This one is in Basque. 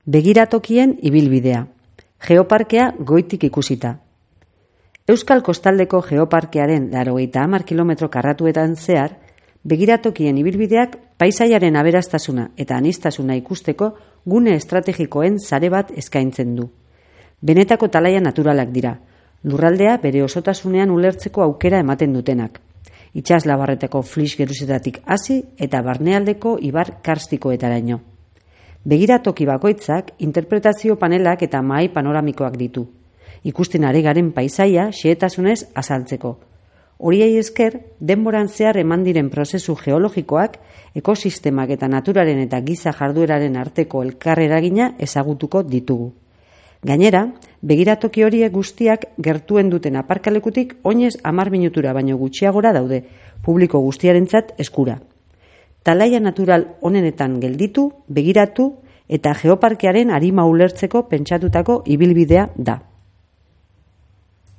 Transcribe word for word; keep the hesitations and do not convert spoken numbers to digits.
Begiratokien ibilbidea. Geoparkea goitik ikusita. Euskal Kostaldeko Geoparkearen laurogeita hamar kilometro karratuetan zehar, begiratokien ibilbideak paisaiaren aberastasuna eta aniztasuna ikusteko gune estrategikoen sare bat eskaintzen du. Benetako talaia naturalak dira, lurraldea bere osotasunean ulertzeko aukera ematen dutenak. Itsaslabarretako flis geruzetatik hasi eta barnealdeko ibar karstikoetaraino. Begiratoki bakoitzak interpretazio panelak eta mahai panoramikoak ditu. Ikusten ari garen paisaia xehetasunez azaltzeko. Horiei esker, denboran zehar eman diren prozesu geologikoak, ekosistemak eta naturaren eta giza jardueraren arteko elkarreragina ezagutuko ditugu. Gainera, begiratoki horiek guztiak gertuen duten aparkalekutik oinez hamar minutura baino gutxiagora daude, publiko guztiarentzat eskura. Talaia natural honenetan gelditu, begiratu eta geoparkearen arima ulertzeko pentsatutako ibilbidea da.